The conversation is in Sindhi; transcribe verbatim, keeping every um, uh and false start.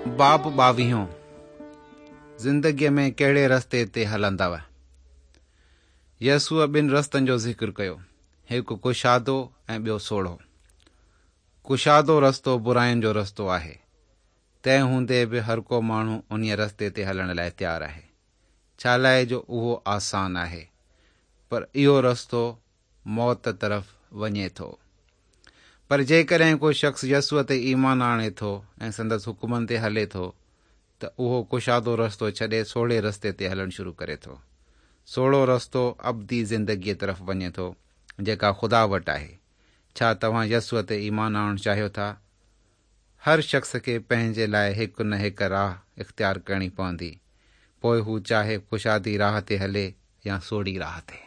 باب ٻاويهون، زندگيء ۾ ڪهڙي رستي تي هلندؤ؟ يسوع ٻن رستن جو ذڪر ڪيو، هڪ ڪشادو ۽ ٻيو سوڙهو. ڪشادو رستو براين جو رستو آهي، تنهن هوندي به هر ڪو ماڻهو انهيء رستي تي هلڻ لاء تيار آهي، ڇا لاء جو اهو آسان آهي، پر اهو رستو موت طرف وڃي ٿو. پر جيڪڏهن ڪو شخص يسوع تي ايمان آڻي ٿو ۽ سندس حڪمن تي هلي ٿو ته اهو ڪشادو رستو ڇڏي سوڙهي رستي تي هلڻ شروع ڪري ٿو. سوڙهو رستو ابدي زندگيء طرف وڃي ٿو، جيڪا خدا وٽ آهي. ڇا توهان يسوع تي ايمان آڻڻ چاهيو ٿا؟ هر شخص کي پنهنجي لاء هڪ نه هڪ راهه اختيار ڪرڻي پوندي، پوء هو چاهي ڪشادي راهه تي هلي يا سوڙهي راهه تي.